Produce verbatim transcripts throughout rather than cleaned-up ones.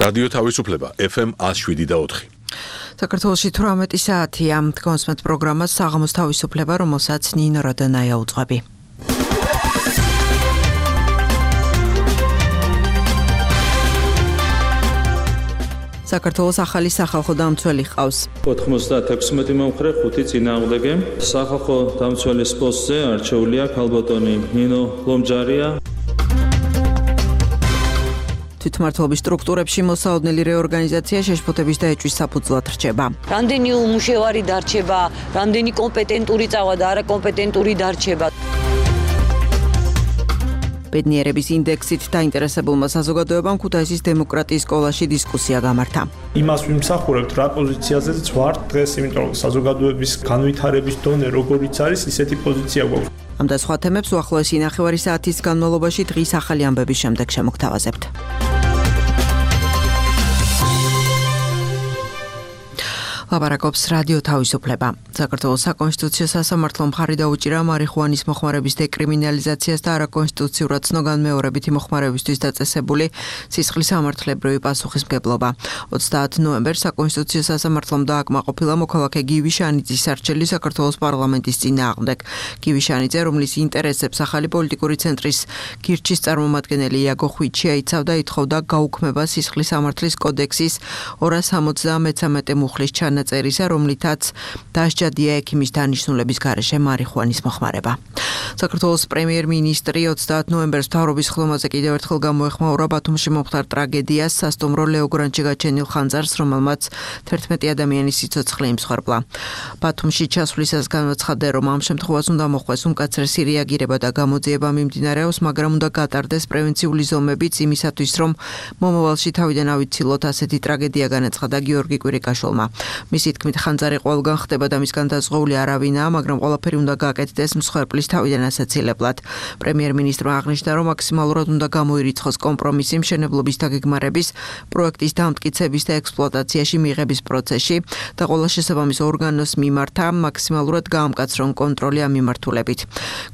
რადიო თავისუფლება ეფ ემ one oh seven და four. საქართველოში თვრამეტი საათია. Თქვენს პროგრამას საღამოს თავისუფლება, რომელსაც ნინო როდონაია უძღვები. საქართველოს ახალი სახალხო დამცველი ჰყავს. ოთხმოცდაექვსმეტი მომხრე, ხუთი წინააღმდეგე. სახალხო დამცველის პოსტზე არჩეულია ქალბატონი ნინო ლომჯარია. თვითმმართველობის სტრუქტურებში მოსაოდნელი რეორგანიზაცია შეშფოთების და ეჭვის საფუძვლად რჩება. რამდენი უმუშევარი დარჩება, რამდენი კომპეტენტური წავა და არაკომპეტენტური დარჩება. ბედნიერების ინდექსით დაინტერესებულმა საზოგადოებამ ქუთაისის დემოკრატიის სკოლაში დისკუსია გამართა. იმას ვიმსახურებთ რა პოზიციაზეც ვართ დღეს, იმიტომ რომ საზოგადოების განვითარების დონე როგორიც არის, ისეთი პოზიცია გვაქვს. ამ და სხვა თემებს უახლოესი ნახევარი საათის განმავლობაში დღის ახალი ამბების შემდეგ შემოგთავაზებთ. ლაპარაკობს რადიო თავისუფლება. საქართველოს საკონსტიტუციო სასამართლომ მხარი დაუჭირა მარიხუანის მოხმარების დეკრიმინალიზაციას და არაკონსტიტუციურად ცნოგანმეორებითი მოხმარებისთვის დაწესებული სისხლის სამართლებრივი პასუხისმგებლობა. ოცდაათი ნოემბერს საკონსტიტუციო სასამართლომ დააკმაყოფილა მოქალაქე გივი შანიძის არჩეული საქართველოს პარლამენტის წინააღმდეგ. გივი შანიძე, რომლის ინტერესებს ახალი პოლიტიკური ცენტრის გირჩის წარმომადგენელი იაგო ხვიჩი აიცავდა, ითხოვდა გაუქმება სისხლის სამართლის კოდექსის ორას ორმოცდამეცამეტე მუხლის ჩანა წერისა, რომლითაც დასჯადია ექიმის დანიშნულების გარეშე მარიხუანის მოხმარება. საქართველოს პრემიერ-მინისტრი ოცდაათი ნოემბერს მთავრობის ხლომაზე კიდევ ერთხელ გამოეხმაურა ბათუმში მომხდარ ტრაგედიას, სასტუმრო ლეოგრანჩი გაჩენილ ხანძარს, რომელმაც თერთმეტი ადამიანის სიცოცხლე იმსხვერპლა. ბათუმში ჩასვლისას განაცხადა, რომ ამ შემთხვევას უნდა მოხდეს უმკაცრესი რეაგირება და გამოძიება მიმდინარეობს, მაგრამ უნდა გატარდეს პრევენციული ზომებიც იმისათვის, რომ მომავალში თავიდან ავიცილოთ, ასეთი ტრაგედია განაცხადა გიორგი კვირიკაშვილმა. მისი თქმით, ხანძარი ყველგან ხდება და მისგან დაზღვეული არავინაა, მაგრამ ყველაფერი უნდა გააკეთდეს მსხვერპლის თავიდან ასაცილებლად. პრემიერ-მინისტრმა აღნიშნა, რომ მაქსიმალურად უნდა გამოირიცხოს კომპრომისი მშენებლობის დაგეგმარების, პროექტის დამტკიცების და ექსპლუატაციაში მიღების პროცესში და ყველა შესაბამის ორგანოს მიმართა მაქსიმალურად გაამკაცრონ კონტროლი ამ მიმართულებით.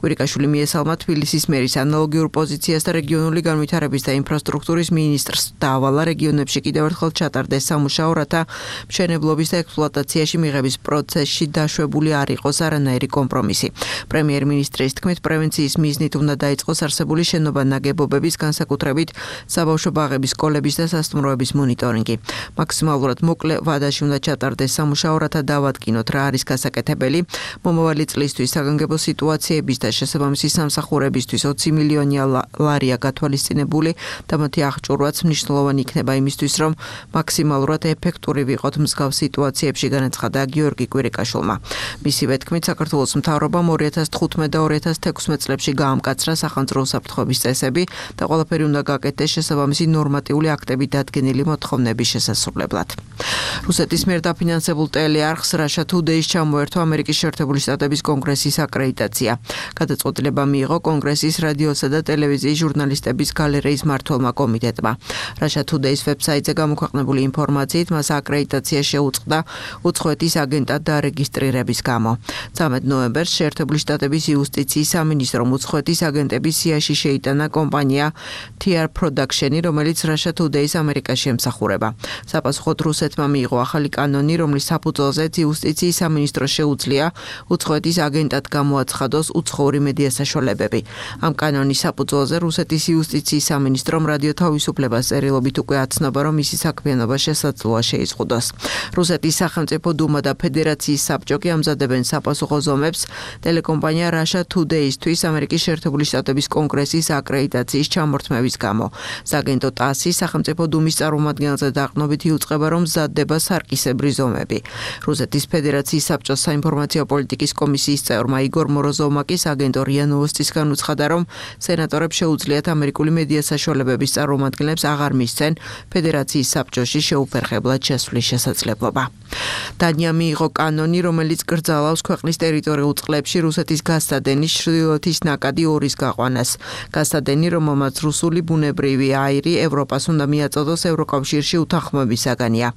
კვირიკაშვილი მიესალმა თბილისის მერის ანალოგიურ პოზიციას და რეგიონული განვითარების და ინფრასტრუქტურის მინისტრს დაავალა რეგიონებში კიდევ ერთხელ ჩატარდეს სამუშაო, რათა მშენებლობის და ექსპლუატაციაში მიღების პროცესში დაშვებული არ იყოს არანაირი კომპრომისი. პრემიერ-მინისტრის თქმით, პრევენციის მიზნით უნდა დაიწყოს არსებული შენობა-ნაგებობების, განსაკუთრებით საბავშვო ბაღების, სკოლების და სასტუმროების მონიტორინგი. მაქსიმალურად მოკლე ვადაში უნდა ჩატარდეს სამუშაო, რათა დავადგინოთ რა არის გასაკეთებელი. მომავალი წლისთვის საგანგებო სიტუაციების და შესაბამისი სამსახურებისთვის ოცი მილიონი ლარია გათვალისწინებული და მათი აღჭურვაც მნიშვნელოვანი იქნება იმისთვის, რომ მაქსიმალურად ეფექტური ვიყოთ მსგავს სიტუაციებში, განაცხადა გიორგი კვირიკაშვილმა. მისივე თქმით, საქართველოს მთავრობამ ორი ათას თხუთმეტ და ორი ათას თექვსმეტ წლებში გაამკაცრა სახანძრო უსაფრთხოების წესები და ყველაფერი უნდა გააკეთდეს შესაბამისი ნორმატიული აქტებით დადგენილი მოთხოვნების შესასრულებლად. რუსეთის მიერ დაფინანსებულ ტელეარხს Russia Today-ს ჩამოერთვა ამერიკის შეერთებული შტატების კონგრესის აკრედიტაცია. გადაწყვეტილება მიიღო კონგრესის რადიოსა და ტელევიზიის ჟურნალისტების გალერეის მმართველმა კომიტეტმა. Russia Today-ს ვებსაიტზე გამოქვეყნებული ინფორმაციით მას აკრედიტაცია შეუწყდა უცხოეთის აგენტად დარეგისტრირების გამო. ცამეტი ნოემბერს შეერთებული შტატების იუსტიციის სამინისტრომ უცხოეთის აგენტების სიაში შეიტანა კომპანია T R Production-ი, რომელიც Russia Today-ს ამერიკაში ემსახურება. საპასუხოდ რუსეთმა მიიღო ახალი კანონი, რომლის საფუძველზეც იუსტიციის სამინისტროს შეუძლია უცხოეთის აგენტად გამოაცხადოს უცხოური მედია საშუალებები. ამ კანონის საფუძველზე რუსეთის იუსტიციის სამინისტრომ რადიო თავისუფლებას წერილობით უკვე აცნობა, რომ მისი საქმიანობა შესაძლოა შეიზღუდოს. რუსეთის სახელმწიფო დუმა და ფედერაციის საბჭო კი ამზადებენ საპასუხო ზომებს ტელეკომპანია Russia Today-ისთვის ამერიკის შეერთებული შტატების კონგრესის აკრედიტაციის ჩამორთმევის გამო. სააგენტო ტასი სახელმწიფო დუმის წარმომადგენელზე დაყრდნობით იუწყება, რომ მზადდება სარკისებრი ზომები. რუსეთის ფედერაციის საბჭოს საინფორმაციო პოლიტიკის კომისიის წევრმა იგორ მოროზოვმა კი სააგენტო რია ნოვოსტისგან უცხადა, რომ სენატორებს შეუძლიათ ამერიკული მედია საშუალებების წარმომადგენლებს აღარ მისცენ ფედერაციის საბჭოში შეუფერხებლად შესვლის შესაძლებლობა. დანია მიიღო კანონი, რომელიც კრძალავს ქვეყნის ტერიტორიულ წყლებში რუსეთის გასცადენის ჩრდილოეთის ნაკადი ორის გაყვანას. გასცადენი, რომელმაც რუსული ბუნებრივი აირი ევროპას უნდა მიაწოდოს ევროკავშირში უთანხმოების საგანია.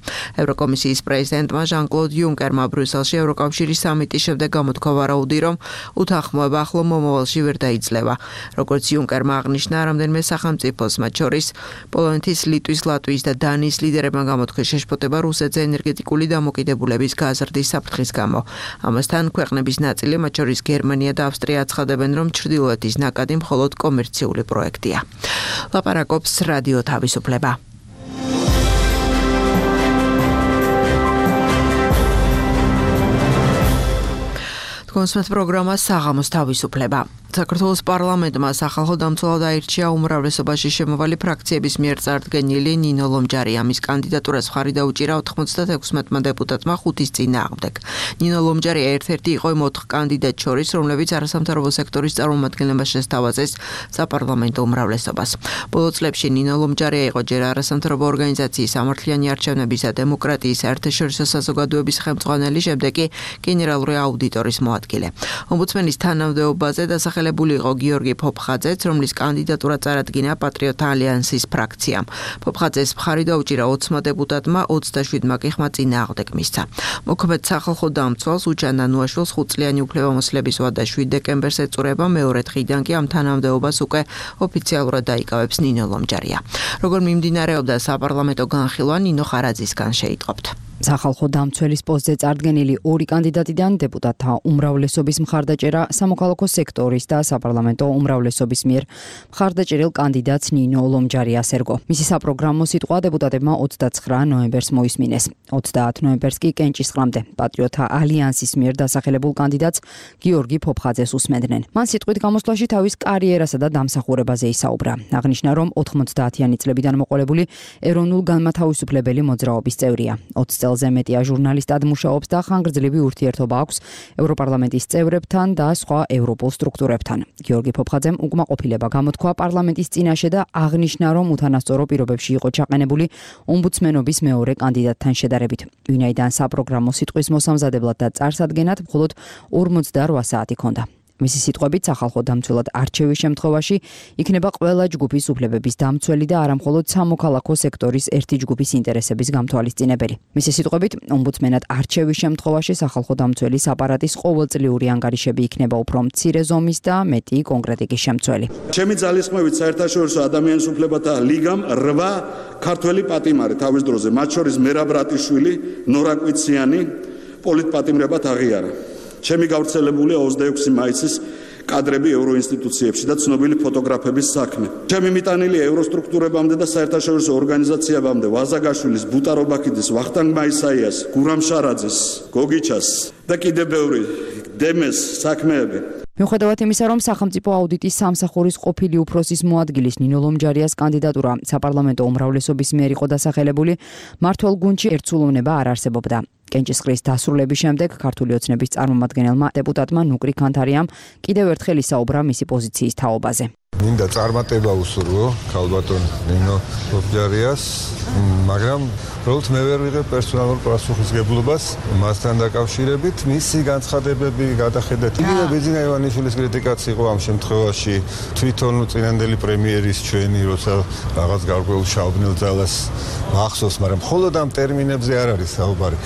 ევროკომისიის პრეზიდენტმა ჟან-კლოდ იუნკერმა ბრიუსელში ევროკავშირის სამიტის შემდეგ გამოთქვა ვარაუდი, რომ უთანხმოება ახლო მომავალში ვერ დაიძლევა. როგორც იუნკერმა აღნიშნა, რამდენიმე სახელმწიფოს, მათ შორის პოლონეთის, ლიტვის, ლატვიის და დანიის ლიდერებმა გამოთქვეს შეშფოთება რუსეთზე ენერგეტიკული დამოკიდებულების გაზრდის საფრთხის გამო. ამასთან ქვეყნების ნაწილი, მათ შორის გერმანია და ავსტრია აცხადებენ, რომ ჩრდილოეთის ნაკადი მხოლოდ კომერციული პროექტია. ლაპარაკობს რადიო თავისუფლება. კონსმეთ პროგრამა საღამოს თავისუფლება. საქართველოს პარლამენტმა სახალხო დამცველად აირჩია უმრავლესობაში შემოვალი ფრაქციების მიერ წარდგენილი ნინო ლომჯარიამის კანდიდატურას მხარი დაუჭირა ოთხმოცდათექვსმეტმა დეპუტატმა ხუთის წინააღმდეგ. ნინო ლომჯარია ერთ-ერთი იყო იმ ოთხ კანდიდატ შორის, რომლებიც არასამთავრობო სექტორის წარმომადგენლებას შესთავაზეს საპარლამენტო უმრავლესობას. ბოლო წლებში ნინო ლომჯარია იყო ჯერ არასამთავრობო ორგანიზაციის სამართლიანი არჩევნების და დემოკრატიის საერთაშორისო საზოგადოების ხელმძღვანელი, შემდეგ კი გენერალური აუდიტორის მოადგილე. ომბუდსმენის თანამდებობაზე დასახელებული იყო გიორგი ფოფხაძეც, რომლის კანდიდატურა წარადგინა პატრიოტთა ალიანსის ფრაქციამ. ფოფხაძეს მხარი დაუჭირა ოცმა დეპუტატმა, ოცდაშვიდმა კი ხმა წინააღმდეგ მისცა. მოქმედ სახალხო დამცველს უჩან ნანუაშვილს ხუთწლიანი უფლებამოსილების ვადა შვიდ დეკემბერს ეწურება, მეორე დღიდან კი ამ თანამდებობას უკვე ოფიციალურად დაიკავებს ნინო ლომჯარია. როგორ მიმდინარეობდა საპარლამენტო განხილვა, ნინო ხარაძისგან შეიტყობთ. სახალხო დამცველის პოსტზე წარდგენილი ორი კანდიდატიდან დეპუტატთა უმრავლესობის მხარდაჭერა სამოქალაქო სექტორის და საპარლამენტო უმრავლესობის მიერ მხარდაჭერილ კანდიდატს ნინო ლომჯარიას ერგო. მისი საპროგრამო სიტყვა დეპუტატებმა ოცდაცხრა ნოემბერს მოისმინეს. ოცდაათ ნოემბერს კი კენჭისყრამდე პატრიოტთა ალიანსის მიერ დასახელებულ კანდიდატს გიორგი ფოფხაძეს უსმენდნენ. მან სიტყვით გამოსვლაში თავის კარიერასა და დამსახურებაზე ისაუბრა. აღნიშნა, რომ ოთხმოცდაათიანი წლებიდან მოყოლებული ეროვნულ განმათავისუფლებელი მოძრაობის წევრია. ოცი წელზე მეტია ჟურნალისტად მუშაობს და ხანგრძლივი ურთიერთობა აქვს ევროპარლამენტის წევრებთან და სხვა ევროპულ სტრუქტურებთან. გიორგი ფოფხაძემ უკმაყოფილება გამოთქვა პარლამენტის წინაშე და აღნიშნა, რომ უთანასწორო პირობებში იყო ჩაყენებული ომბუდსმენობის მეორე კანდიდატთან შედარებით. ვინაიდან საპროგრამო სიტყვის მოსამზადებლად და წარსადგენად მხოლოდ ორმოცდარვა საათი ჰქონდა. მისი სიტყვებით სახალხო დამცველად არჩევის შემთხვევაში იქნება ყველა ჯგუფის უფლებების დამცველი და არა მხოლოდ სამოქალაქო სექტორის ერთი ჯგუფის ინტერესების გამთვალისწინებელი. მისი სიტყვებით, ომბუდსმენად არჩევის შემთხვევაში სახალხო დამცველის აპარატის ყოველწლიური ანგარიშები იქნება უფრო მცირე ზომის და მეტი კონკრეტიკის შემცველი. ჩემი ძალისხმევით საერთაშორისო ადამიანის უფლებათა ლიგამ რვა ქართველი პატიმარი თავის დროზე, მათ შორის მერაბ რატიშვილი, ნორა კვიციანი პოლიტპატიმრებად აღიარა. ჩემი გავრცელებულია ოცდაექვსი მაისის კადრები ევროინსტიტუციებში და ცნობილი ფოტოგრაფების საქმე. ჩემი მიტანილია ევროსტრუქტურებამდე და საერთაშორისო ორგანიზაციებამდე ვაზაგაშვილის, ბუტარობაქიძის, ვახტანგ მაისაიას, გურამ შარაძის, გოგიჩას და კიდევ ბევრი დემეს საქმეები. მიუხედავად იმისა, რომ სახელმწიფო აუდიტის სამსახურის ყოფილი უფროსის მოადგილის ნინო ლომჯარიას კანდიდატურა საპარლამენტო უმრავლესობის მიერ იყო დასახელებული, მმართველ გუნდში ერთსულოვნება არ არსებობდა. კენჭისყრის დასრულების შემდეგ ქართული ოცნების წარმომადგენელმა დეპუტატმა ნუკრი ქანთარიამ კიდევ ერთხელ ისაუბრა მისი პოზიციის თაობაზე. მინდა წარმატება უსურვო ქალბატონ ნინო ლომჯარიას, მაგრამ უბრალოდ მე ვერ ვიღებ პერსონალურ პასუხისმგებლობას მასთან დაკავშირებით. მისი განცხადებები გადახედეთ. იგივე ბეძინა ივანიშვილის კრიტიკაც იყო ამ შემთხვევაში თვითონ წინანდელი პრემიერის ჩვენი, როცა რაღაც გარკვეულ შავბნელ ძალას მახსოვს, მაგრამ მხოლოდ ამ ტერმინებზე არ არის საუბარი.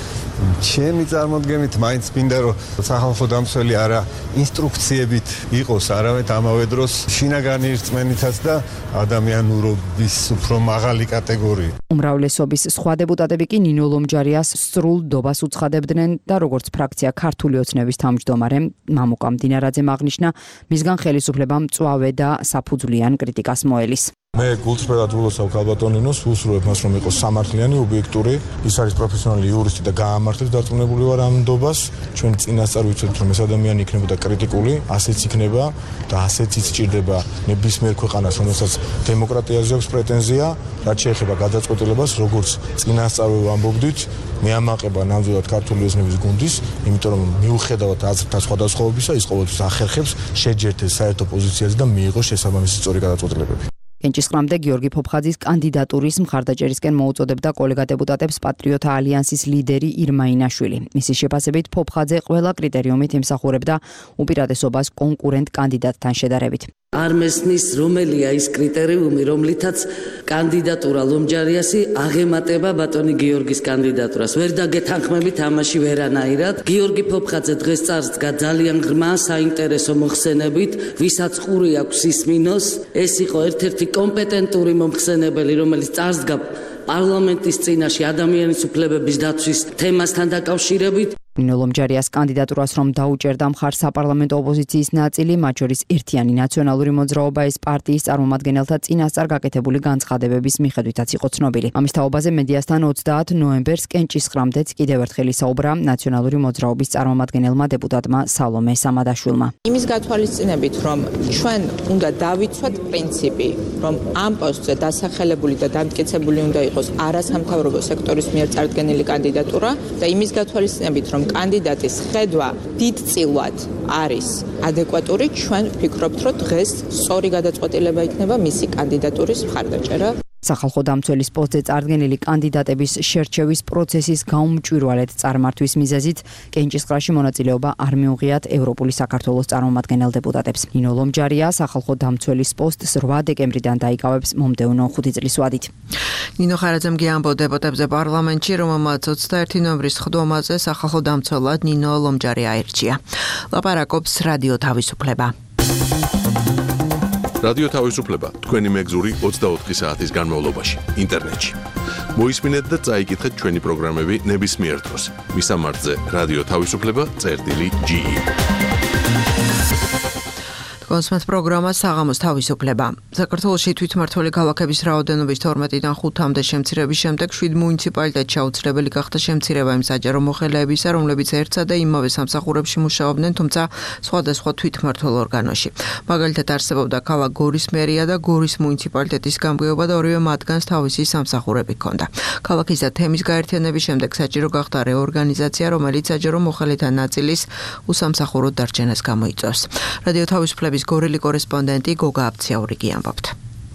ჩემი წარმოდგენით მაინც მინდა რომ სახალხო დამცველი არა ინსტრუქციებით იყოს, არამედ ამავე დროს შინაგანი რწმენითაც და ადამიანურობის უფრო მაღალი კატეგორია. უმრავლესობის სხვა დეპუტატები კი ნინო ლომჯარიას სრულ დობას უცხადებდნენ და როგორც ფრაქცია ქართული ოცნების თავმჯდომარე მამუკა მდინარაძემ აღნიშნა, მისგან ხელისუფლება მწვავე და საფუძვლიან კრიტიკას მოელის. მე გულწრფელად ვილოცავ ქალბატონ ნინოს, ვუსურვებ მას, რომ იყოს სამართლიანი, ობიექტური, ის არის პროფესიონალი იურისტი და გაამართლებს დარწმუნებული ვარ ამ ნდობას. ჩვენ წინასწარ ვიცოდით, რომ ეს ადამიანი იქნებოდა კრიტიკული, ასეც იქნება და ასეც ისჭირდება ნებისმიერ ქვეყანას, რომელსაც დემოკრატიაზე აქვს პრეტენზია, რაც შეეხება გადაწყვეტილებას, როგორც წინასწარ ვამბობდით, მე ამაყება ნამდვილად ქართული ოცნების გუნდის, იმიტომ რომ მიუხედავად აზრთა სხვადასხვაობისა, ის ყოველთვის ახერხებს შეჯერდეს საერთო პოზიციაზე და მიიღოს შესაბამისი სწორი გადაწყვეტილებები. კენჭისყრამდე გიორგი ფოფხაძის კანდიდატურის მხარდაჭერისკენ მოუწოდებდა კოლეგა დეპუტატებს პატრიოტთა ალიანსის ლიდერი ირმა ინაშვილი. მისი შეფასებით ფოფხაძე ყველა კრიტერიუმით ემსახურებდა უპირატესობას კონკურენტ კანდიდატთან შედარებით. არ მესნის რომელია ის კრიტერიუმი, რომლითაც კანდიდატურა ლომჯარიასი აღემატება ბატონი გიორგის კანდიდატურას. ვერ დაგეთანხმებით ამაში ვერანაირად. გიორგი ფოფხაძე დღეს წარსდგა ძალიან ღრმა საინტერესო მოხსენებით, ვისაც ყური აქვს ისმინოს. ეს იყო ერთ-ერთი კომპეტენტური მომხსენებელი, რომელიც წარსდგა პარლამენტის წინაშე ადამიანის უფლებების დაცვის თემასთან დაკავშირებით. ნინო ლომჯარიას კანდიდატურას რომ დაუჭერდა მხარს საპარლამენტო ოპოზიციის ნაწილი, მათ შორის ერთიანი ნაციონალური მოძრაობა ეს პარტიის წარმომადგენელთა წინასწარ გაკეთებული განცხადებების მიხედვითაც იყო ცნობილი. ამის თაობაზე მედიასთან ოცდაათ ნოემბერს კენჭისყრამდეც კიდევ ერთხელ ისაუბრა ნაციონალური მოძრაობის წარმომადგენელმა დეპუტატმა სალომე სამადაშვილმა. იმის გათვალისწინებით, რომ ჩვენ უნდა დავიცვათ პრინციპი, რომ ამ პოსტზე დასახელებული და დამტკიცებული უნდა იყოს არასამთავრობო სექტორის მიერ წარდგენილი კანდიდატურა და იმის გათვალისწინებით, რომ კანდიდატის ხედვა დიდწილად არის ადეკვატური, ჩვენ ვფიქრობთ, რომ დღეს სწორი გადაწყვეტილება იქნება მისი კანდიდატურის მხარდაჭერა. სახალხო დამცველის პოსტზე წარდგენილი კანდიდატების შერჩევის პროცესის გაუმჭვირვალედ წარმართვის მიზეზით კენჭისყრაში მონაწილეობა არ მიუღიათ ევროპული საქართველოს წარმომადგენელ დეპუტატებს. ნინო ლომჯარია სახალხო დამცველის პოსტს რვა დეკემბრიდან დაიკავებს მომდევნო ხუთი წლის ვადით. ნინო ხარაძემ გიამბო დეპუტატებზე პარლამენტში, რომელმაც ოცდაერთი ნოემბრის სხდომაზე სახალხო დამცველად ნინო ლომჯარია აირჩია. ლაპარაკობს რადიო თავისუფლება. რადიო თავისუფლება თქვენი მეგზური ოცდაოთხი საათის განმავლობაში ინტერნეტში. მოისმინეთ და წაიკითხეთ ჩვენი პროგრამები ნებისმიერ დროს. მისამართზე რადიო თავისუფლება წერტილი ჯი ი. კონსმეთ პროგრამა საღამოს თავისუფლება. საქართველოში თვითმმართველი ქალაქების რაოდენობის თორმეტიდან ხუთამდე შემცირების შემდეგ შვიდ მუნიციპალიტეტში აუცილებელი გახდა შემცირება იმ საჯარო მოხელეებისა, რომლებიც ერთსა და იმავე სამსახურებში მუშაობდნენ, თუმცა სხვადასხვა თვითმმართველ ორგანოში. მაგალითად არსებობდა ქალაქ გორის მერია და გორის მუნიციპალიტეტის გამგეობა და ორივე მათგანს თავისი სამსახურები ჰქონდა. ქალაქის და თემის გაერთიანების შემდეგ საჭირო გახდა რეორგანიზაცია, რომელიც საჯარო მოხელეთა ნაწილის უსამსახუროდ დარჩენას გამოიწვევს. რადიო თავისუფლების გორელი კორესპონდენტი გოგა აბციაური გიამბობთ.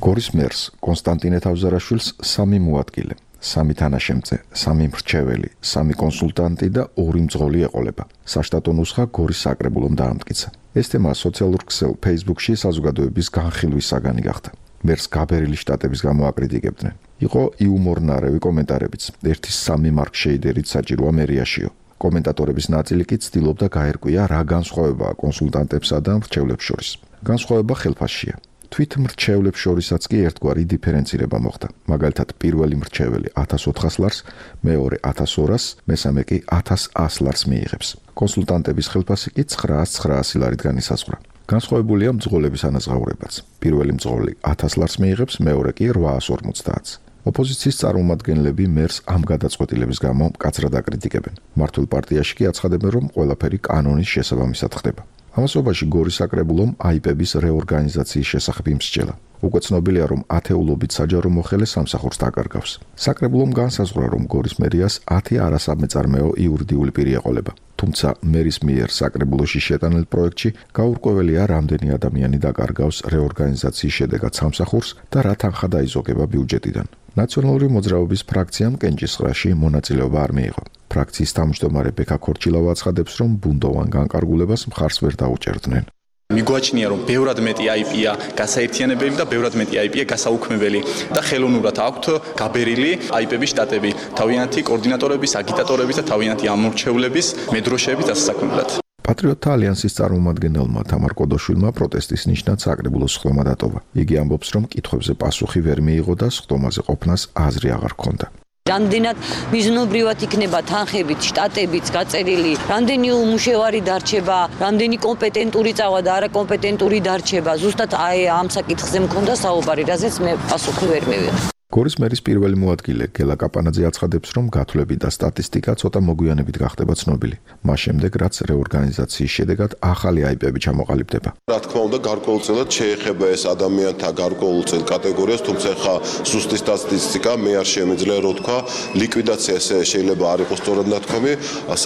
გორის მერს კონსტანტინე თავზარაშვილს სამი მოადგილე, სამი თანაშემწე, სამი მრჩეველი, სამი კონსულტანტი და ორი მძღოლი ეყოლება. საშტატო ნუსხა გორის საკრებულომ დაამტკიცა. ეს თემა სოციალურ ქსელ Facebook-ში საზოგადოების განხილვის საგანი გახდა. მერს გაბერილი შტატების გამო აკრიტიკებდნენ. იყო იუმორნარევი კომენტარებიც. ერთის სამი მარკ შეიდერით საჭიროა მერიაშიო. კომენტატორების ნაწილი კი ცდილობდა გაერკვია რა განსხვავებაა კონსულტანტებსა და მრჩევლებს შორის. განსხვავება ხელფასშია. თვით მრჩევლებს შორისაც კი ერთგვარი დიფერენცირება მოხდა. მაგალითად, პირველი მრჩეველი ათას ოთხას ლარს, მეორე ათას ორას, მესამე კი ათას ას ლარს მიიღებს. კონსულტანტების ხელფასი კი ცხრაას ცხრაასი ლარით განისაზღვრა. განსხვავებულია მძღოლების ანაზღაურებაც. პირველი მძღოლი ათას ლარს მიიღებს, მეორე კი რვაას ორმოცდაათს. ოპოზიციის წარმომადგენლები მერს ამ გადაწყვეტილების გამო მკაცრად აკრიტიკებენ. მართულ პარტიაში კი აცხადებენ, რომ ყველაფერი კანონის შესაბამისად ხდება. ამასობაში გორის საკრებულომ აიპების რეორგანიზაციის შესახებ იმსჯელა. უკვე ცნობილია, რომ ათეულობით საჯარო მოხელე სამსახურს დაკარგავს. საკრებულომ განსაზღვრა, რომ გორის მერიას ათი არასამეწარმეო იურიდიული პირი ეყოლება. თუმცა მერის მიერ საკრებულოში შეტანილ პროექტში გაურკვეველია, რამდენი ადამიანი დაკარგავს რეორგანიზაციის შედეგად სამსახურს და რა თანხა დაიზოგება ბიუჯეტიდან. ნაციონალური მოძრაობის ფრაქციამ კენჭისყრაში მონაწილეობა არ მიიღო. ფრაქციის თავმჯდომარე ბექა ქორჩილავა აცხადებს, რომ ბუნდოვან განკარგულებას მხარს ვერ დაუჭერდნენ. მიგვაჩნია, რომ ბევრად მეტი აი პი-ა გასაერთიანებელი და ბევრად მეტი აი პი-ა გასაუქმებელი და ხელოვნურად აქვთ გაბერილი აი პი-ების შტატები, თავიანთი კოორდინატორების, აგიტატორების და თავიანთი ამორჩევლების მედროშეების დასაქმებლად. პატრიოტთა ალიანსის წარმომადგენელმა თამარ კოდოშვილმა პროტესტის ნიშნად საკრებულოს სხდომა დატოვა. იგი ამბობს, რომ კითხვებზე პასუხი ვერ მიიღო და სხდომაზე ყოფნას აზრი აღარ ჰქონდა. რამდენად მიზნობრივად იქნება თანხებით, შტატებიც გაწერილი, რამდენი უმუშევარი დარჩება, რამდენი კომპეტენტური წავა და არაკომპეტენტური დარჩება. ზუსტად აი ამ საკითხზე მქონდა საუბარი, რაზეც მე პასუხი ვერ მივიღე. გორის მერის პირველი მოადგილე გელა კაპანაძე აცხადებს, რომ გათვლები და სტატისტიკა ცოტა მოგვიანებით გახდება ცნობილი. მას შემდეგ, რაც რეორგანიზაციის შედეგად ახალი აიპები ჩამოყალიბდება. რა თქმა უნდა, გარკვეულწილად შეეხება ეს ადამიანთა გარკვეულწილ კატეგორიას, თუმცა ხა სუსტი სტატისტიკა მე არ შემიძლია რო თქვა, ლიკვიდაცია ესე შეიძლება არ იყოს სწორად ნათქვამი,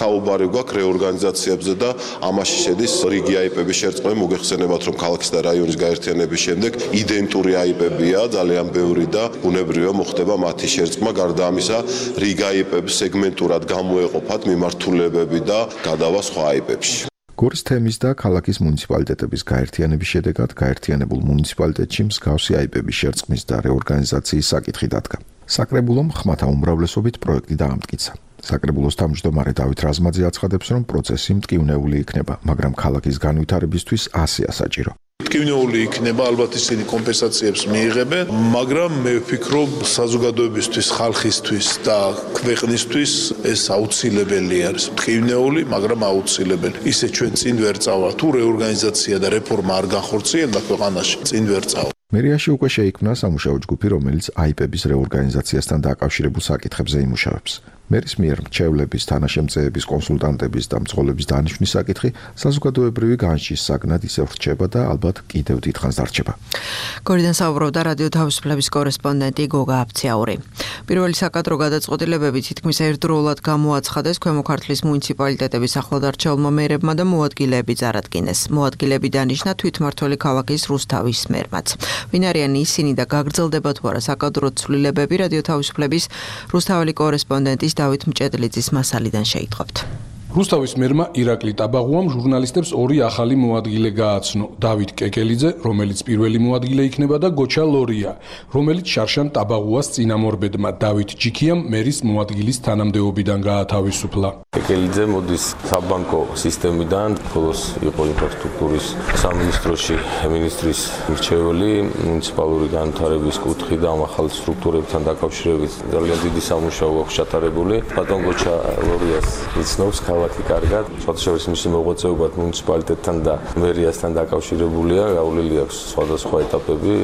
საუბარი გვაქვს რეორგანიზაციებზე და ამაში შედის რიგი აიპების შერწყმები. მოგეხსენებათ, რომ ქალაქის და რაიონის გაერთიანების შემდეგ იდენტური აიპებია ძალიან ბევრი და ბუნებრივია მოხდება მათი შერწყმა. გარდა ამისა, რიგ აიპებს სეგმენტურად გამოეყოფათ მიმართულებები და გადავა სხვა აიპებში. გორის თემის და ქალაქის მუნიციპალიტეტების გაერთიანების შედეგად გაერთიანებულ მუნიციპალიტეტში მსგავსი აიპების შერწყმის და რეორგანიზაციის საკითხი დადგა. საკრებულომ ხმათა უმრავლესობით პროექტი დაამტკიცა. საკრებულოს თავმჯდომარე დავით რაზმაძე აცხადებს, რომ პროცესი მტკივნეული იქნება, მაგრამ ქალაქის განვითარებისთვის ასეა საჭირო. მტკივნეული იქნება, ალბათ ისინი კომპენსაციებს მიიღებენ, მაგრამ მე ვფიქრობ, საზოგადოებისთვის, ხალხისთვის და ქვეყნისთვის ეს აუცილებელი არის. მტკივნეული, მაგრამ აუცილებელი. ისე ჩვენ წინ ვერ წავა, თუ რეორგანიზაცია და რეფორმა არ განხორციელდა ქვეყანაში, წინ ვერ წავა. მერიაში უკვე შეიქმნა სამუშაო ჯგუფი, რომელიც აიპების რეორგანიზაციასთან დაკავშირებულ საკითხებზე იმუშავებს. მერის მიერ მრჩევლების, თანაშემწეების, კონსულტანტების და მძღოლების დანიშვნის საკითხი საზოგადოებრივი განშის საგნად ისევ რჩება და ალბათ კიდევ დიდხანს დარჩება. გორიდან საუბრობდა რადიო თავისუფლების კორესპონდენტი გოგა აფციაური. პირველი საკადრო გადაწყვეტილებები თითქმის ერთდროულად გამოაცხადეს ქვემო ქართლის მუნიციპალიტეტების ახლადარჩეულმა მერებმა და მოადგილეები წარადგინეს. მოადგილეები დანიშნა თვითმმართველი ქალაქის რუსთავის მერმაც. ვინ არიან ისინი და გაგრძელდება თუ არა საკადრო ცვლილებები, რადიო თავისუფლების რუსთაველი კორესპონდენტის დავით მჭედლიძის მასალიდან შეიტყობთ. რუსთავის მერმა ირაკლი ტაბაღუამ ჟურნალისტებს ორი ახალი მოადგილე გააცნო. დავით კეკელიძე, რომელიც პირველი მოადგილე იქნება და გოჩა ლორია, რომელიც შარშან ტაბაღუას წინამორბედმა დავით ჯიქიამ მერის მოადგილის თანამდებობიდან გაათავისუფლა. კეკელიძე მოდის საბანკო სისტემიდან, ხოლოს იყო ინფრასტრუქტურის სამინისტროში მინისტრის მრჩეველი, მუნიციპალური განვითარების კუთხე და ამ ახალ სტრუქტურებთან დაკავშირებით ძალიან დიდი სამუშაო აქვს ჩატარებული. ბატონ გოჩა ლორიას იცნობს ქალაქი კარგად, სხვადასხვა მისი მოღვაწეობა მუნიციპალიტეტთან და მერიასთან დაკავშირებულია, გავლილი აქვს სხვადასხვა ეტაპები.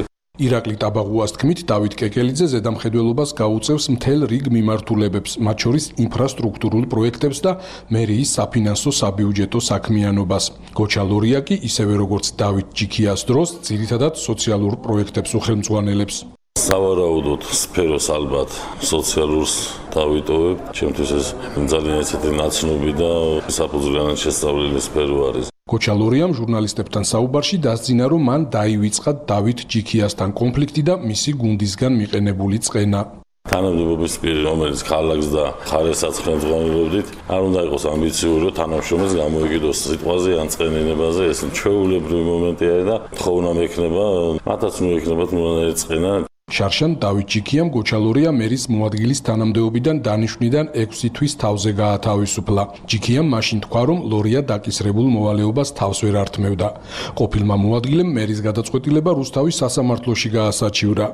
ირაკლი ტაბაღუას თქმით, დავით კეკელიძე ზედამხედველობას გაუწევს მთელ რიგ მიმართულებებს, მათ შორის ინფრასტრუქტურულ პროექტებს და მერიის საფინანსო საბიუჯეტო საქმიანობას. გოჩა ლორია კი, ისევე როგორც დავით ჯიქიას დროს, ძირითადად სოციალურ პროექტებს უხელმძღვანელებს. სავარაუდოდ სფეროს ალბათ სოციალურს დავიტოვებ, ჩემთვის ეს ძალიან ესეთი ნაცნობი და საფუძვლიანად შესწავლილი სფერო არის. გოჩა ლორიამ ჟურნალისტებთან საუბარში დასძინა, რომ მან დაივიწყა დავით ჯიქიასთან კონფლიქტი და მისი გუნდისგან მიყენებული წყენა. თანამდებობის პირი, რომელიც ქალაქს და ხარესაც ხელმძღვანელობდით, არ უნდა იყოს ამბიციური, რომ თანამშრომელს გამოიგიდოს სიტყვაზე ან წყენინებაზე, ეს ჩვეულებრივი მომენტია და თხოვნა მექნება, მათაც მოექნებათ მონანაირი წყენა. შარშან დავით ჯიქიამ გოჩა ლორია მერის მოადგილის თანამდებობიდან დანიშვნიდან ექვსი თვის თავზე გაათავისუფლა. ჯიქიამ მაშინ თქვა, რომ ლორია დაკისრებულ მოვალეობას თავს ვერ ართმევდა. ყოფილმა მოადგილემ მერის გადაწყვეტილება რუსთავის სასამართლოში გაასაჩივრა.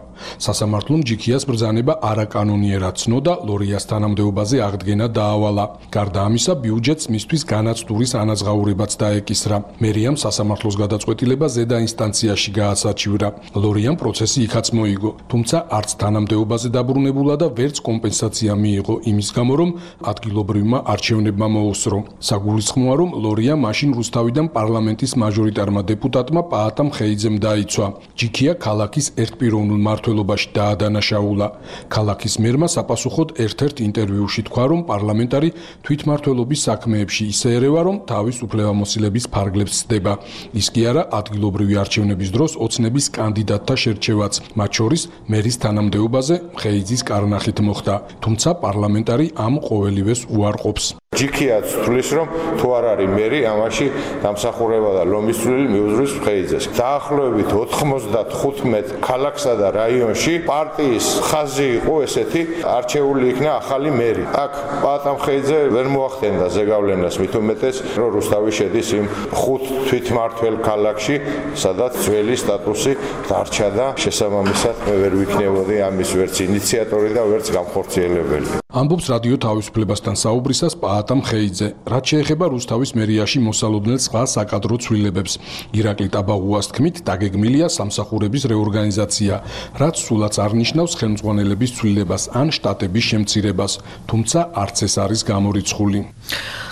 სასამართლომ ჯიქიას ბრძანება არაკანონიერად ცნო და ლორიას თანამდებობაზე აღდგენა დაავალა. გარდა ამისა, ბიუჯეტს მისთვის განაცდურის ანაზღაურებაც დაეკისრა. მერიამ სასამართლოს გადაწყვეტილება ზედა ინსტანციაში გაასაჩივრა. ლორიამ პროცესი იქაც მოიგო. თუმცა არც თანამდებობაზე დაბრუნებულა და ვერც კომპენსაცია მიიღო იმის გამო, რომ ადგილობრივმა არჩევნებმა მოუსწრო. საგულისხმოა, რომ ლორია მაშინ რუსთავიდან პარლამენტის მაჟორიტარმა დეპუტატმა პაატამ ხეიძემ დაიცვა. ჯიქია ქალაქის ერთპიროვნულ მმართველობაში დაადანაშაულა. ქალაქის მერმა საპასუხოდ ერთ-ერთ ინტერვიუში თქვა, რომ პარლამენტარი თვითმმართველობის საქმეებში ისე ერევა, რომ თავის უფლებამოსილების ფარგლებს ცდება. ის კი არა ადგილობრივი არჩევნების დროს ოცნების კანდიდატთა შერჩევაც, მათ შორის მერის თანამდებობაზე ხეიძის კარნახით მოხდა, თუმცა პარლამენტარი ამ ყოველივეს უარყოფს. ჯიქიაც თulis რომ თუ არ არის მერი, ამაში დამსახურება და ლომის წვლილი მიუძღვის ხეიძეს. დაახლოებით ოთხმოცდათხუთმეტ ქალაქსა და რაიონში პარტიის ხაზი იყო ესეთი, არჩეული იქნა ახალი მერი. აქ პაატამ ხეიძე ვერ მოახდენდა ზეგავლენას, მით უმეტეს, რომ რუსთავი შედის იმ ხუთ თვითმმართველ ქალაქში, სადაც ძველი სტატუსი დარჩა და შესაბამისად მე ვერ ვიქნებოდი ამის ვერც ინიციატორი და ვერც გამხორციელებელი. ამბობს რადიო თავისუფლებასთან საუბრისას პაატა მხეიძე. რაც შეეხება რუსთავის მერიაში მოსალოდნელ სხვა საკადრო ცვლილებებს, ირაკლი ტაბაღუას თქმით, დაგეგმილია სამსახურების რეორგანიზაცია, რაც სულაც არ ნიშნავს ხელმძღვანელების ცვლილებას ან შტატების შემცირებას, თუმცა არც ეს არის გამორიცხული.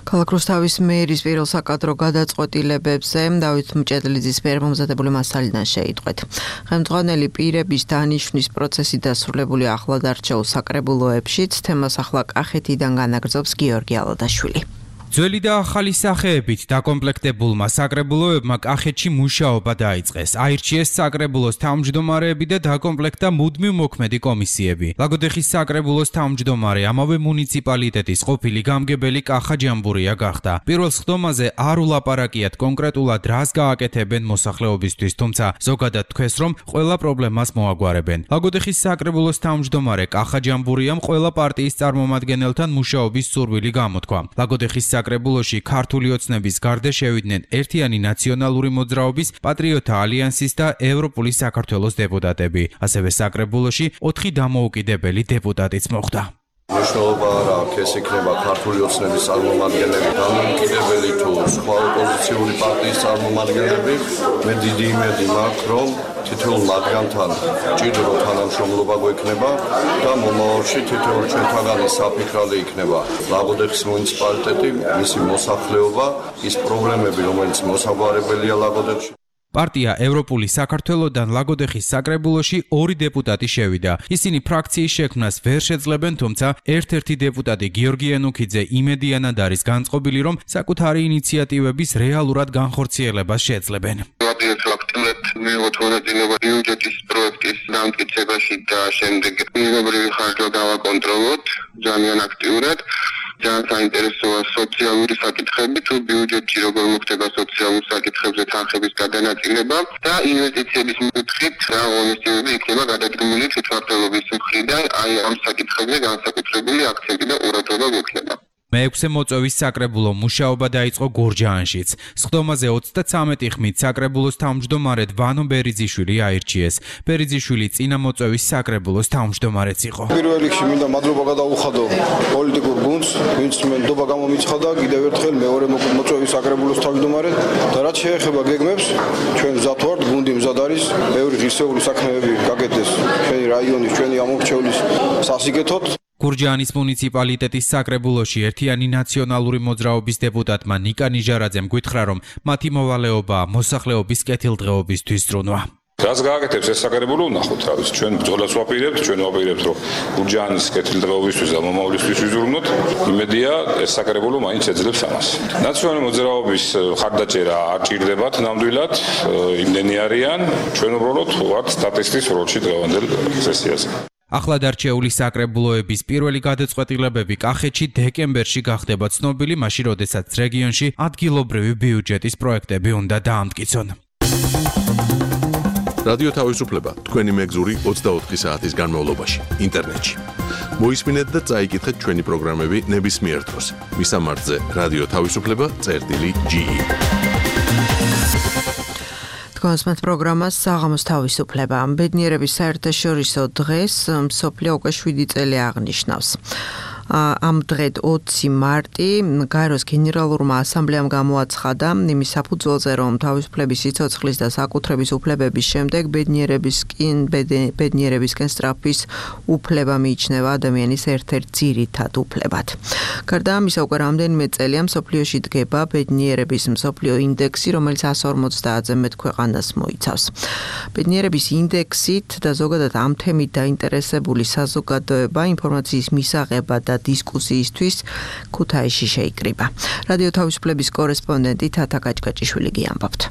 ქალაქ რუსთავის მერის პირველ საკადრო გადაწყვეტილებებზე დავით მჭედლიძის მიერ მომზადებული მასალიდან შეიტყვეთ. ხელმძღვანელი პირების დანიშვნის პროცესი დასრულებული ახლად არჩეულ საკრებულოებშიც, თემას ახლა კახეთიდან განაგრძობს გიორგი ალადაშვილი. ძველი და ახალი სახეებით დაკომპლექტებულმა საკრებულოებმა კახეთში მუშაობა დაიწყეს. აირჩიეს საკრებულოს თავმჯდომარეები და დაკომპლექტდა მუდმივ მოქმედი კომისიები. ლაგოდეხის საკრებულოს თავმჯდომარე ამავე მუნიციპალიტეტის ყოფილი გამგებელი კახა ჯამბურია გახდა. პირველ სხდომაზე არ ულაპარაკიათ კონკრეტულად რას გააკეთებენ მოსახლეობისთვის, თუმცა ზოგადად თქვეს, რომ ყველა პრობლემას მოაგვარებენ. ლაგოდეხის საკრებულოს თავმჯდომარე კახა ჯამბურიამ ყველა პარტიის წარმომადგენელთან მუშაობის სურვილი გამოთქვა. ლაგოდეხის საკრებულოში ქართული ოცნების გარდა შევიდნენ ერთიანი ნაციონალური მოძრაობის, პატრიოტთა ალიანსის და ევროპული საქართველოს დეპუტატები. ასევე საკრებულოში ოთხი დამოუკიდებელი დეპუტატიც მოხვდა. მნიშვნელობა არ აქვს, ეს იქნება ქართული ოცნების წარმომადგენლები, დამოუკიდებელი თუ სხვა ოპოზიციური პარტიის წარმომადგენლები. მე დიდი იმედი მაქვს, რომ თითოეულ მათგანთან ჭიდრო თანამშრომლობა გვექნება და მომავალში თითოეულ ჩვენთაგანი საფიქრალი იქნება ლაგოდეხის მუნიციპალიტეტი, მისი მოსახლეობა, ის პრობლემები, რომელიც მოსაგვარებელია ლაგოდეხში. პარტია ევროპული საქართველოდან ლაგოდეხის საკრებულოში ორი დეპუტატი შევიდა. ისინი ფრაქციის შექმნას ვერ შეძლებენ, თუმცა ერთ-ერთი დეპუტატი გიორგი ენუქიძე იმედიანად არის განწყობილი, რომ საკუთარი ინიციატივების რეალურად განხორციელებას შეძლებენ. მიიღოთ მონაწილეობა ბიუჯეტის პროექტის დამტკიცებაში და შემდეგ მიღებრივი ხარჯვა დავაკონტროლოთ ძალიან აქტიურად. ძალიან საინტერესოა სოციალური საკითხები, თუ ბიუჯეტში როგორ მოხდება სოციალურ საკითხებზე თანხების გადანაწილება და ინვესტიციების მიკითხით რა ღონისძიებები იქნება გადადგმული თვითმმართველობის მხრიდან, აი ამ საკითხებზე განსაკუთრებული აქცენტი და ყურადღება გვექნება. მეექვსე მოწვევის საკრებულო მუშაობა დაიწყო გორჯაანშიც. სხდომაზე ოცდათვრამეტი ხმით საკრებულოს თავმჯდომარედ ვანო ბერიძიშვილი აირჩიეს. ბერიძიშვილი წინა მოწვევის საკრებულოს თავმჯდომარეც იყო. პირველ რიგში მინდა მადლობა გადაუხადო პოლიტიკურ გუნდს, ვინც მენდობა გამომიცხადა კიდევ ერთხელ მეორე მოწვევის საკრებულოს თავმჯდომარედ და რაც შეეხება გეგმებს, ჩვენ მზად ვართ, გუნდი მზად არის, ბევრი ღირსეული საქმეები გაკეთდეს ჩვენი რაიონის, ჩვენი ამორჩევლის სასიკეთოდ. გურჯაანის მუნიციპალიტეტის საკრებულოში ერთიანი ნაციონალური მოძრაობის დეპუტატმა ნიკა ნიჟარაძემ გითხრა, რომ მათი მოვალეობაა მოსახლეობის კეთილდღეობისთვის ზრუნვა. რას გააკეთებს ეს საკრებულო ვნახოთ, რა ვიცი, ჩვენ ბრძოლას ვაპირებთ, ჩვენ ვაპირებთ, რომ გურჯაანის კეთილდღეობისთვის და მომავლისთვის ვიზრუნოთ. იმედია, ეს საკრებულო მაინც ეძლებს ამას. ნაციონალური მოძრაობის ხარდაჭერა არ ჭირდებათ ნამდვილად, იმდენი არიან, ჩვენ უბრალოდ ვართ სტატისტის როლში დღევანდელ სესიაზე. ახლად არჩეული საკრებულოების პირველი გადაწყვეტილებები კახეთში დეკემბერში გახდება ცნობილი, მაშინ როდესაც რეგიონში ადგილობრივი ბიუჯეტის პროექტები უნდა დაამტკიცონ. რადიო თავისუფლება თქვენი მეგზური ოცდაოთხი საათის განმავლობაში ინტერნეტში. მოისმინეთ და წაიკითხეთ ჩვენი პროგრამები ნებისმიერ დროს. მისამართზე რადიო თავისუფლება წერტილი ჯი ი. კონსმეთ პროგრამას საღამოს თავისუფლება. ბედნიერების საერთაშორისო დღეს მსოფლიო უკვე შვიდი წელი აღნიშნავს. ამ დღედ ოცი მარტი გაეროს გენერალურმა ასამბლეამ გამოაცხადა იმის საფუძველზე, რომ თავისუფლების სიცოცხლის და საკუთრების უფლებების შემდეგ ბედნიერების კინ ბედნიერებისკენ სწრაფვის უფლება მიიჩნევა ადამიანის ერთ-ერთ ძირითად უფლებად. გარდა ამისა, უკვე რამდენიმე წელია მსოფლიოში დგება ბედნიერების მსოფლიო ინდექსი, რომელიც εκατს ორმოცდაათზე მეტ ქვეყანას მოიცავს. ბედნიერების ინდექსით და ზოგადად ამ თემით დაინტერესებული საზოგადოება ინფორმაციის მისაღებად და დისკუსიისთვის ქუთაისში შეიკრიბა. რადიო თავისუფლების კორესპონდენტი თათა გაჭგაჭიშვილი გიამბობთ.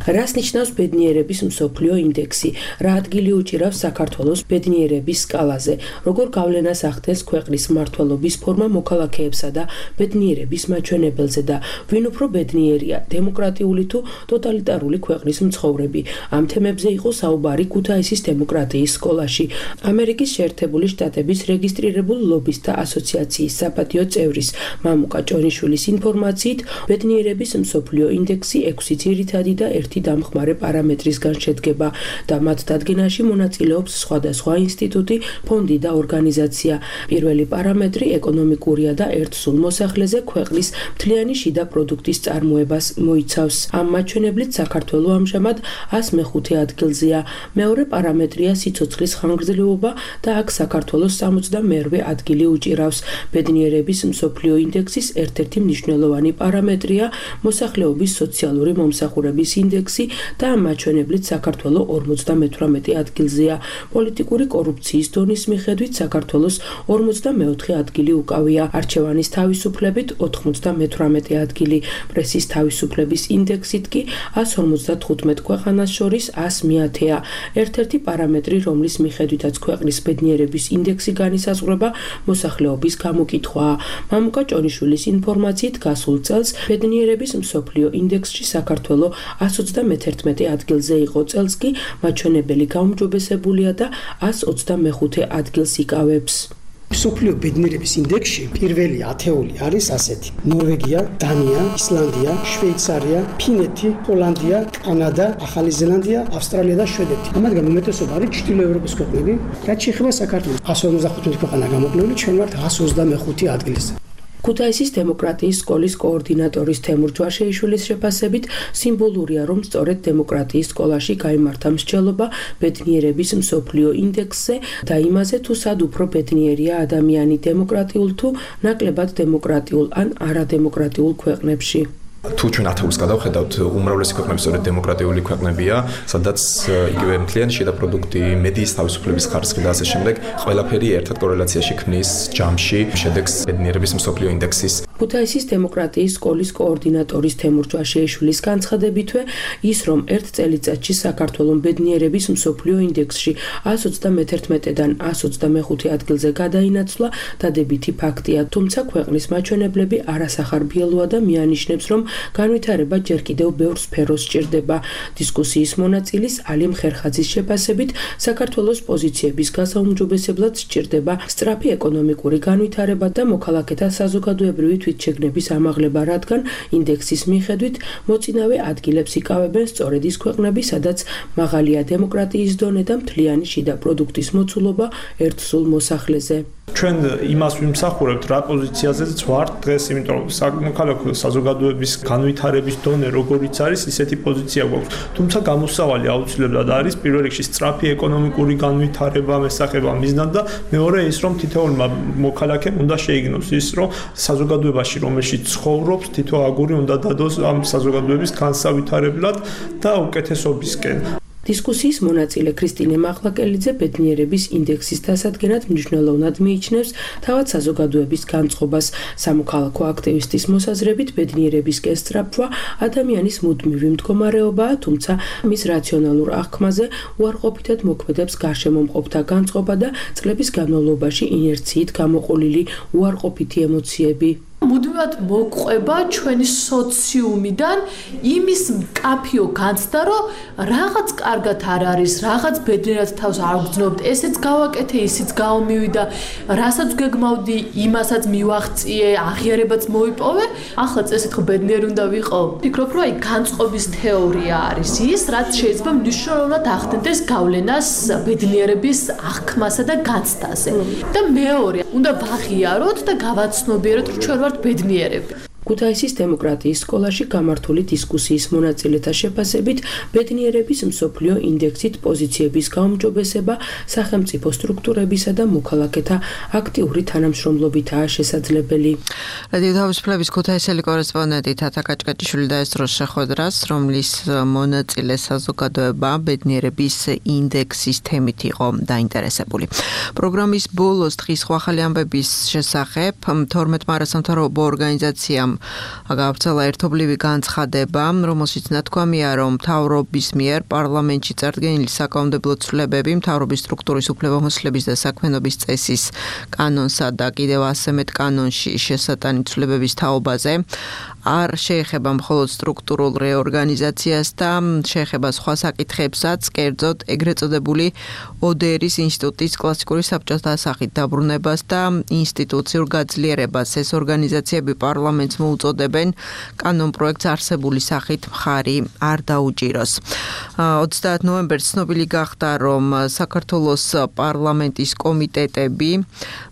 რას ნიშნავს ბედნიერების მსოფლიო ინდექსი? რა ადგილი უჭირავს საქართველოს ბედნიერების სკალაზე? როგორ გავლენას ახდენს ქვეყნის მმართველობის ფორმა მოქალაქეებსა და ბედნიერების მაჩვენებელზე და ვინ უფრო ბედნიერია, დემოკრატიული თუ ტოტალიტარული ქვეყნის მცხოვრები? ამ თემებზე იყო საუბარი ქუთაისის დემოკრატიის სკოლაში. ამერიკის შეერთებული შტატების რეგისტრირებულ ლობისტთა ასოციაციის საპატიო წევრის მამუკა ჭონიშვილის ინფორმაციით, ბედნიერების მსოფლიო ინდექსი ექვსი ძირითადი და ერთი ერთ-ერთი დამხმარე პარამეტრისგან შედგება და მათ დადგენაში მონაწილეობს სხვადასხვა ინსტიტუტი, ფონდი და ორგანიზაცია. პირველი პარამეტრი ეკონომიკურია და ერთსულ მოსახლეზე ქვეყნის მთლიანი შიდა პროდუქტის წარმოებას მოიცავს. ამ მაჩვენებლით საქართველო ამჟამად ას მეხუთე ადგილზეა. მეორე პარამეტრია სიცოცხლის ხანგრძლივობა და აქ საქართველოს სამოცდამეერთე ადგილი უჭირავს. ბედნიერების მსოფლიო ინდექსის ერთ-ერთი მნიშვნელოვანი პარამეტრია მოსახლეობის სოციალური მომსახურების ინდექსი და ამ მაჩვენებლით საქართველო ორმოცდამეთვრამეტე ადგილზეა. პოლიტიკური კორუფციის დონის მიხედვით საქართველოს ორმოცდამეოთხე ადგილი უკავია. არჩევანის თავისუფლებით ოთხმოცდამეთვრამეტე ადგილი. პრესის თავისუფლების ინდექსით კი ას ორმოცდათხუთმეტ ქვეყანას შორის ას მეათეა. ერთ-ერთი პარამეტრი, რომლის მიხედვითაც ქვეყნის ბედნიერების ინდექსი განისაზღვრება, მოსახლეობის გამოკითხვაა. მამუკა ჭონიშვილის ინფორმაციით გასულ წელს ბედნიერების მსოფლიო ინდექსში საქართველო ას ოცდამეთერთმეტე ადგილზე იყო, წელს კი მაჩვენებელი გაუმჯობესებულია და ას ოცდამეხუთე ადგილს იკავებს. მსოფლიო ბედნიერების ინდექსში პირველი ათეული არის ასეთი: ნორვეგია, დანია, ისლანდია, შვეიცარია, ფინეთი, ჰოლანდია, კანადა, ახალი ზელანდია, ავსტრალია და შვედეთი. ამათგან უმეტესობა არის ჩრდილო ევროპის ქვეყნები. რაც შეეხება საქართველოს, ას ორმოცდახუთმეტი ქვეყანა გამოკლებული, ჩვენ ვართ ას ოცდამეხუთე ადგილზე. ქუთაისის დემოკრატიის სკოლის კოორდინატორის თემურ ჯვაშეიშვილის შეფასებით სიმბოლურია, რომ სწორედ დემოკრატიის სკოლაში გაიმართა მსჯელობა ბედნიერების მსოფლიო ინდექსზე და იმაზე, თუ სად უფრო ბედნიერია ადამიანი დემოკრატიულ თუ ნაკლებად დემოკრატიულ ან არადემოკრატიულ ქვეყნებში. თუ ჩვენ ათეულს გადავხედავთ, უმრავლესი ქვეყნები სწორედ დემოკრატიული ქვეყნებია, სადაც იგივე მთლიანი შიდა პროდუქტი, მედიის თავისუფლების ხარისხი და ასე შემდეგ, ყველაფერი ერთად კორელაციაში ქმნის ჯამში შედეგს ბედნიერების მსოფლიო ინდექსის. ქუთაისის დემოკრატიის სკოლის კოორდინატორის თემურ ჯვაშეიშვილის განცხადებითვე, ის რომ ერთ წელიწადში საქართველოს ბედნიერების მსოფლიო ინდექსში ას ოცდამეთერთმეტედან ას ოცდამეხუთე ადგილზე გადაინაცვლა, დადებითი ფაქტია, თუმცა ქვეყნის მაჩვენებლები არასახარბიელოა და მიანიშნებს, რომ განვითარება ჯერ კიდევ ბევრ სფეროს სჭირდება. დისკუსიის მონაწილის ალიმ ხერხაძის შეფასებით, საქართველოს პოზიციების გასაუმჯობესებლად სჭირდება სწრაფი ეკონომიკური განვითარება და მოქალაქეთა საზოგადოებრივი თვითშეგნების ამაღლება, რადგან ინდექსის მიხედვით მოწინავე ადგილებს იკავებენ სწორედ ის ქვეყნები, სადაც მაღალია დემოკრატიის დონე და მთლიანი შიდა პროდუქტის მოცულობა ერთსულ მოსახლეზე. ჩვენ იმას ვიმსახურებთ, რა პოზიციაზეც ვართ დღეს, იმიტომ რომ სამოქალაქო საზოგადოების განვითარების დონე როგორიც არის, ისეთი პოზიცია გვაქვს. თუმცა გამოსავალი აუცილებლად არის პირველ რიგში სწრაფი ეკონომიკური განვითარება მესახება მიზნად და მეორე ის, რომ თითოეულმა მოქალაქემ უნდა შეიგნოს ის, რომ საზოგადოებაში, რომელშიც ცხოვრობს, თითო აგური უნდა დადოს ამ საზოგადოების განსავითარებლად და უკეთესობისკენ. დისკუსიის მონაწილე ქრისტინე მაყლაკელიძე ბედნიერების ინდექსის დასადგენად მნიშვნელოვნად მიიჩნევს თავად საზოგადოების განწყობას. სამოქალაქო აქტივისტის მოსაზრებით ბედნიერებისკენ სწრაფვა ადამიანის მუდმივი მდგომარეობაა, თუმცა მის რაციონალურ აღქმაზე უარყოფითად მოქმედებს გარშემომყოფთა განწყობა და წლების განმავლობაში ინერციით გამოყოლილი უარყოფითი ემოციები. მუდმივად მოყვება ჩვენი სოციუმიდან იმის მკაფიო განცდა, რომ რაღაც კარგად არ არის, რაღაც ბედნიერად თავს არ გძნობთ, ესეც გავაკეთე, ისიც გავმივიდა, რასაც გეგმავდი, იმასაც მივაღწიე, აღიარებაც მოიპოვე, ახლა წესით ხო ბედნიერი უნდა ვიყო? ვფიქრობ, რომ აი განწყობის თეორია არის ის, რაც შეიძლება მნიშვნელოვნად ახდენდეს გავლენას ბედნიერების აღქმასა და განცდაზე. და მეორე, უნდა ვაღიაროთ და გავაცნობიეროთ, რომ ჩვენ ვართ ბედნიერები. ქუთაისის დემოკრატიის სკოლაში გამართული დისკუსიის მონაწილეთა შეფასებით, ბედნიერების მსოფლიო ინდექსით პოზიციების გაუმჯობესება სახელმწიფო სტრუქტურებისა და მოქალაქეთა აქტიური თანამშრომლობითაა შესაძლებელი. რადიო თავისუფლების ქუთაისელი კორესპონდენტი თათა კაჭკაჭიშვილი დაესწრო შეხვედრას, რომლის მონაწილე საზოგადოება ბედნიერების ინდექსის თემით იყო დაინტერესებული. პროგრამის ბოლოს დღის ახალი ამბების შესახებ თორმეტ მარასამთავრობო ორგანიზაციამ გავრცელა ერთობლივი განცხადება, რომელშიც ნათქვამია, რომ მთავრობის მიერ პარლამენტში წარდგენილი საკანონმდებლო ცვლილებები მთავრობის სტრუქტურის უფლებამოსილების და საქმიანობის წესის კანონსა და კიდევ ასე მეტ კანონში შესატანი ცვლილებების თაობაზე არ შეეხება მხოლოდ სტრუქტურულ რეორგანიზაციას და შეეხება სხვა საკითხებსაც, კერძოდ ეგრეთ წოდებული ო დე ერის ინსტიტუტის კლასიკური საბჭოთა სახით დაბრუნებას და ინსტიტუციურ გაძლიერებას. ეს ორგანიზაციები პარლამენტს მოუწოდებენ კანონპროექტს არსებული სახით მხარი არ დაუჭიროს. ოცდაათ ნოემბერს ცნობილი გახდა, რომ საქართველოს პარლამენტის კომიტეტები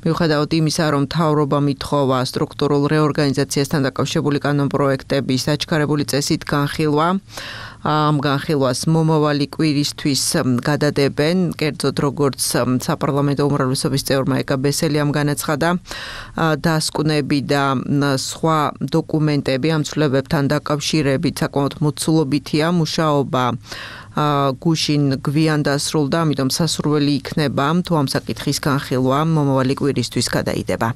მიუხედავად იმისა, რომ მთავრობა მითხოვა სტრუქტურულ რეორგანიზაციასთან დაკავშირებული კანონპროექტების დაჩქარებული წესით განხილვა, ამ განხილვას მომავალი კვირისთვის გადადებენ, კერძოდ როგორც საპარლამენტო უმრავლესობის წევრმა ეკა ბესელიამ განაცხადა, დასკვნები და სხვა დოკუმენტები ამ ცვლილებებთან დაკავშირებით საკმაოდ მოცულობითია, მუშაობა გუშინ გვიან დასრულდა, ამიტომ სასურველი იქნება თუ ამ საკითხის განხილვა მომავალი კვირისთვის გადაიდება.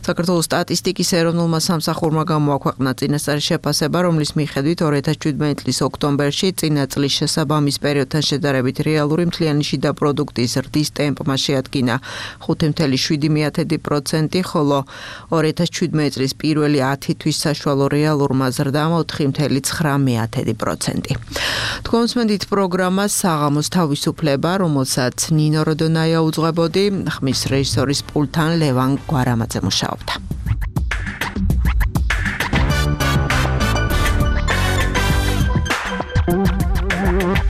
საქართველოს სტატისტიკის ეროვნულმა სამსახურმა გამოაქვეყნა წინასწარი შეფასება, რომლის მიხედვით ორი ათას შვიდმეტი წლის ოქტომბერში წინა წლის შესაბამის პერიოდთან შედარებით რეალური მთლიანი შიდა პროდუქტის ზრდის ტემპმა შეადგინა ხუთი ათეული შვიდი პროცენტი, ხოლო ორი ათას შვიდმეტი წლის პირველი ათი თვის საშუალო რეალურმა ზრდამ ოთხი ათეული ცხრა პროცენტი. თქვენს მენდით პროგრამა საღამოს თავისუფლება, რომელსაც ნინო როდონაია უძღვებოდი, ხმის რეჟისორის პულტთან ლევან გვარამაძე მუშაობდა.